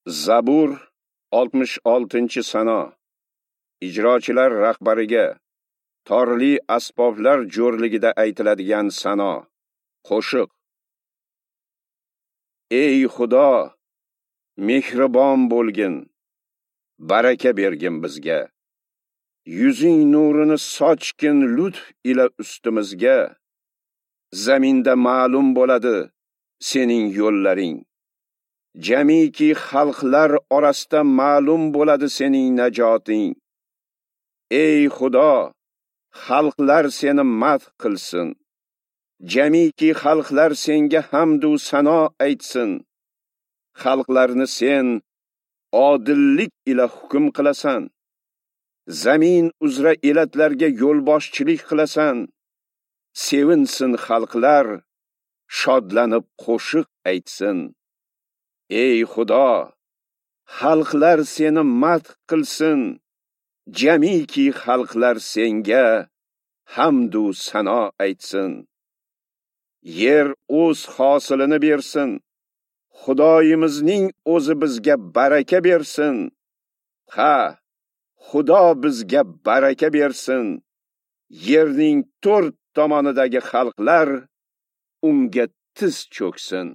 Zabur 66-sano. Ijrochilar rahbariga torli asboblar jo'rligida aytiladigan sano, qo'shiq. Ey Xudo, mehribon bo'lgin, baraka bergin bizga. Yuzing nurini sochgin lutf ila ustimizga. Zaminda ma'lum bo'ladi sening yo'llaring. Jamiki xalqlar orasida ma'lum bo'ladi sening najoting. Ey Xudo, xalqlar seni madh qilsin. Jamiki xalqlar senga hamd u sano aytsin. Xalqlarni sen odillik ila hukm qilasan. Zamin uzra elatlarga yo'lboshchilik qilasan. Sevinsin xalqlar, shodlanib qo'shiq aytsin. Ey Xudo, xalqlar seni madh qilsin. Jamiki xalqlar senga hamd u sano aytsin. Yer o'z hosilini bersin. Xudoyimizning o'zi bizga baraka bersin. Ha, Xudo bizga baraka bersin. Yerning to'rt tomonidagi xalqlar unga tiz cho'ksin.